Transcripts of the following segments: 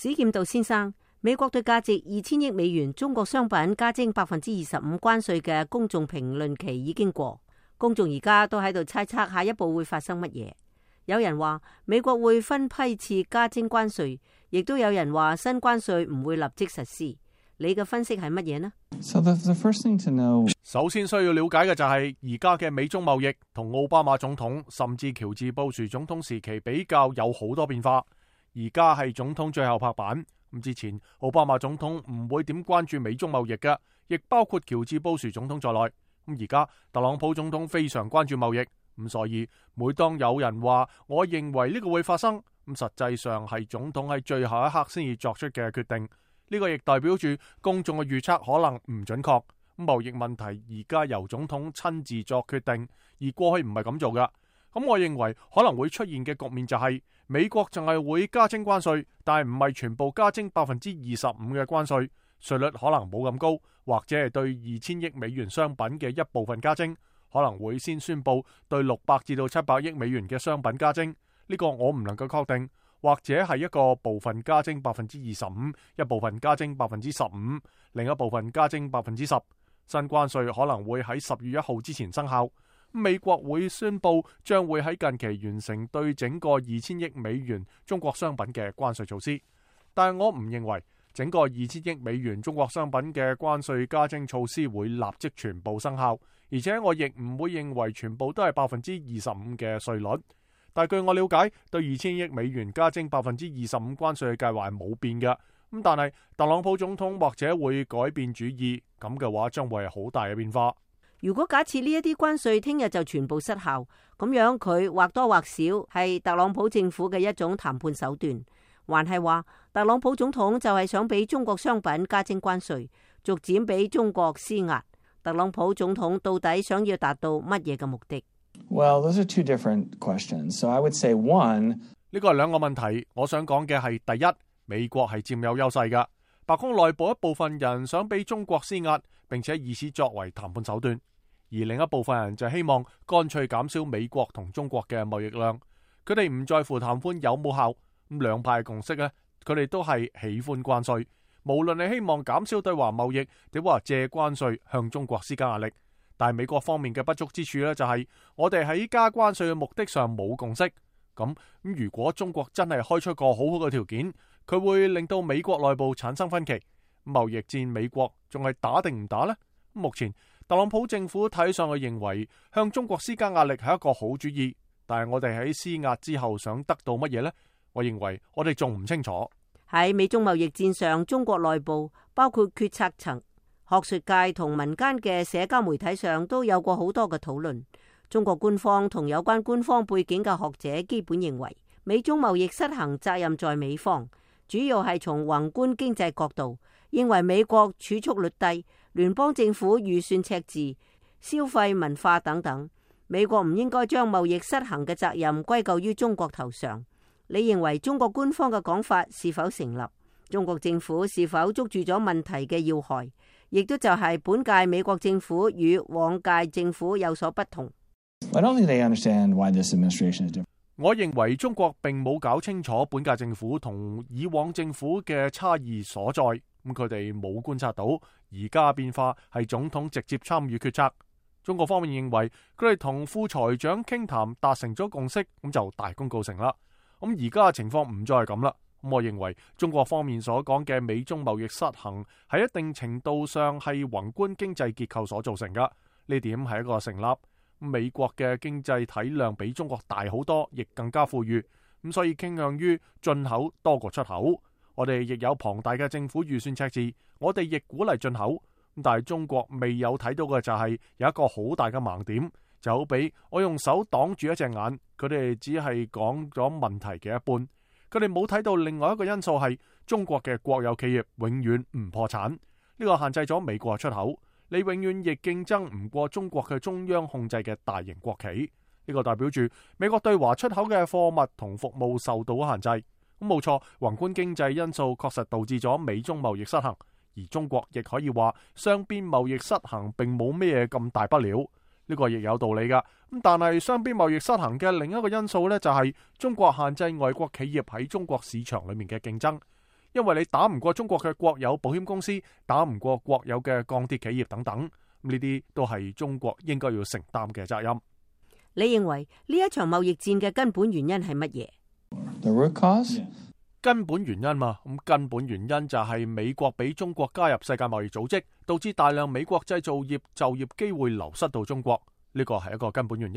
史劍道先生，美國對價值2000億美元中國商品加徵25%關稅嘅公眾評論期已經過，公眾而家都喺度猜測下一步會發生乜嘢。有人話美國會分批次加徵關稅，亦都有人話新關稅唔會立即實施。你嘅分析係乜嘢呢？ the first thing to know， 首先需要了解嘅就係而家嘅美中貿易同奧巴馬總統甚至喬治布殊總統時期比較有好多變化。而家係總統最後拍板，咁之前奧巴馬總統唔會點關注美中貿易嘅，亦包括喬治布殊總統在內。咁而家特朗普總統非常關注貿易，咁所以每當有人話我認為呢個會發生，咁實際上係總統喺最後一刻先至作出嘅決定。呢個亦代表住公眾嘅預測可能唔準確。貿易問題而家由總統親自作決定，而過去唔係咁做噶。咁我認為可能會出現嘅局面就係美國淨係會加徵關稅，但係唔係全部加徵25%嘅關稅，稅率可能冇咁高，或者係對2000億美元商品嘅一部分加徵，可能會先宣布對600至到700億美元嘅商品加徵。呢個我唔能夠確定，或者係一個部分加徵25%，一部分加徵15%，另一部分加徵10%。新關稅可能會喺10月1號之前生效。美國會宣布將會喺近期完成對整個2000億美元中國商品嘅關稅措施，但係我唔認為整個2000億美元中國商品嘅關稅加徵措施會立即全部生效，而且我亦唔會認為全部都係25%嘅稅率。但係據我了解，對2000億美元加徵25%關稅嘅計劃係冇變嘅。咁但係特朗普總統或者會改變主意，咁嘅話將會係好大嘅變化。如果假設呢一啲關稅聽日就全部失效，咁樣佢或多或少係特朗普政府嘅一種談判手段，還係話特朗普總統就係想俾中國商品加徵關稅，逐漸俾中國施壓。特朗普總統到底想要達到乜嘢嘅目的？ Well, those are two different questions. So I would say one， 呢個係兩個問題。我想講嘅係第一，美國係佔有優勢㗎，白宮內部一部分人想俾中國施壓，並且以此作為談判手段。而另一部分人就希望乾脆減少美國同中國嘅貿易量，佢哋唔在乎談判有冇效。咁兩派共識呢，佢哋都係喜歡關稅，無論你希望減少對華貿易，定話借關稅向中國施加壓力。但係美國方面嘅不足之處呢，就係我哋喺加關稅嘅目的上冇共識。咁如果中國真係開出個好好嘅條件，佢會令到美國內部產生分歧。貿易戰美國仲係打定唔打呢？目前特朗普政府睇上去認為向中國施加壓力係一個好主意，但係我哋喺施壓之後想得到乜嘢呢？我認為我哋仲唔清楚。喺美中貿易戰上，中國內部包括決策層、學術界同民間嘅社交媒體上都有過好多嘅討論。中國官方同有關官方背景嘅學者基本認為，美中貿易失衡責任在美方，主要係從宏觀經濟角度，認為美國儲蓄率低，聯邦政府預算赤字、消費文化等等，美國唔應該將貿易失衡嘅責任歸咎於中國頭上。你認為中國官方嘅講法是否成立？中國政府是否捉住咗問題嘅要害？亦都就係本屆美國政府與往屆政府有所不同。I don't think they understand why this administration is different. 我認為中國並冇搞清楚本屆政府同以往政府嘅差異所在。咁佢哋冇觀察到而家變化係總統直接參與決策。中國方面認為佢哋同副財長傾談達成咗共識，咁就大功告成啦。咁而家嘅情況唔再係咁啦。咁我認為中國方面所講嘅美中貿易失衡喺一定程度上係宏觀經濟結構所造成噶，呢點係一個成立。美國嘅經濟體量比中國大好多，亦更加富裕，咁所以傾向於進口多過出口。我哋亦有龐大嘅政府預算赤字，我哋亦鼓勵進口。但係中國未有睇到嘅就係有一個好大嘅盲點，就好比我用手擋住一隻眼，佢哋只係講咗問題嘅一半，佢哋冇睇到另外一個因素係中國嘅國有企業永遠唔破產，呢個限制咗美國嘅出口，你永遠亦競爭唔過中國嘅中央控制嘅大型國企，呢個代表住美國對華出口嘅貨物同服務受到限制。咁冇錯，宏觀經濟因素確實導致咗美中貿易失衡，而中國亦可以話雙邊貿易失衡並冇咩咁大不了，呢個亦有道理噶。咁但係雙邊貿易失衡嘅另一個因素呢，就係中國限制外國企業喺中國市場裏面嘅競爭，因為你打唔過中國嘅國有保險公司，打唔過國有嘅鋼鐵企業等等，呢啲都係中國應該要承擔嘅責任。你認為呢一場貿易戰嘅根本原因係乜嘢？ The root cause? 根本原因嘛，咁根本原因就係美國俾中國加入世界貿易組織，導致大量美國製造業就業機會流失到中國，呢個係一個根本原因。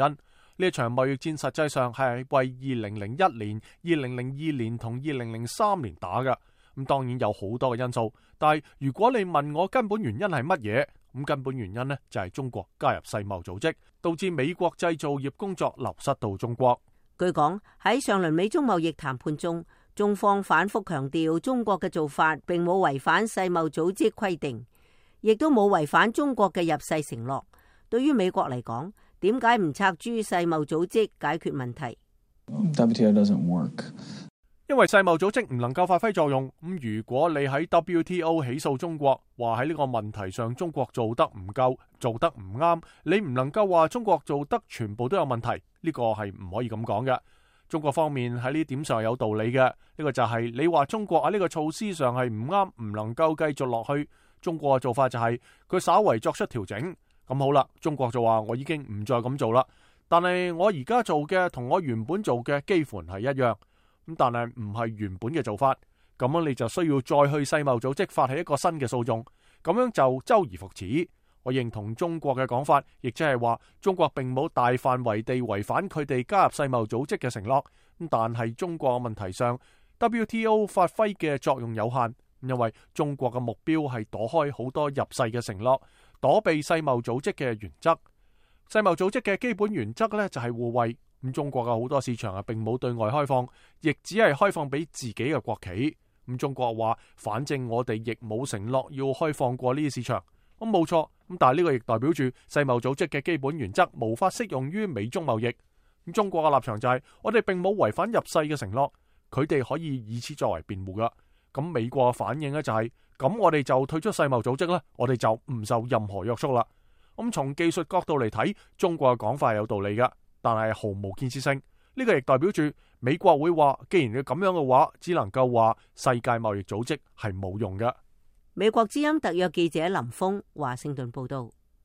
呢一場貿易戰實際上係為2001年、2002年同2003年打嘅，咁當然有好多嘅因素，但係如果你問我根本原因係乜嘢，咁根本原因呢就係中國加入世貿組織，導致美國製造業工作流失到中國。據講喺上輪美中貿易談判中，中方反覆強調中國嘅做法並冇違反世貿組織規定，亦都冇違反中國嘅入世承諾。對於美國嚟講，點解唔拆諸世貿組織解決問題？ WTO doesn't work. 因為世貿組織唔能夠發揮作用，咁如果你喺 WTO 起訴中國，話喺呢個問題上中國做得唔夠，做得唔啱，你唔能夠話中國做得全部都有問題，呢個係唔可以咁講嘅。中國方面喺呢點上有道理嘅，呢個就係你話中國喺呢個措施上係唔啱，唔能夠繼續落去。中國嘅做法就係佢稍為作出調整，咁好啦，中國就話我已經唔再咁做啦，但係我而家做嘅同我原本做嘅幾乎係一樣。咁但係唔係原本嘅做法，咁樣你就需要再去世貿組織發起一個新嘅訴訟，咁樣就周而復始。我認同中國嘅講法，亦即係話中國並冇大範圍地違反佢哋加入世貿組織嘅承諾，但係中國嘅問題上 WTO 發揮嘅作用有限，因為中國嘅目標係躲開好多入世嘅承諾，躲避世貿組織嘅原則。世貿組織嘅基本原則呢，就係互惠。咁中國嘅好多市場並冇對外開放，亦只係開放俾自己嘅國企。咁中國話，反正我哋亦冇承諾要開放過呢啲市場。咁冇錯，咁但係呢個亦代表住世貿組織嘅基本原則無法適用於美中貿易。咁中國嘅立場就係，我哋並冇違反入世嘅承諾，佢哋可以以此作為辯護噶。咁美國嘅反應呢，就係，咁我哋就退出世貿組織啦，我哋就唔受任何約束啦。咁從技術角度嚟睇，中國嘅講法係有道理噶，但係毫無建設性。呢個亦代表住美國會話，既然你咁樣嘅話，只能夠話世界貿易組織係冇用嘅。美國之音特約記者林峰華盛頓報道。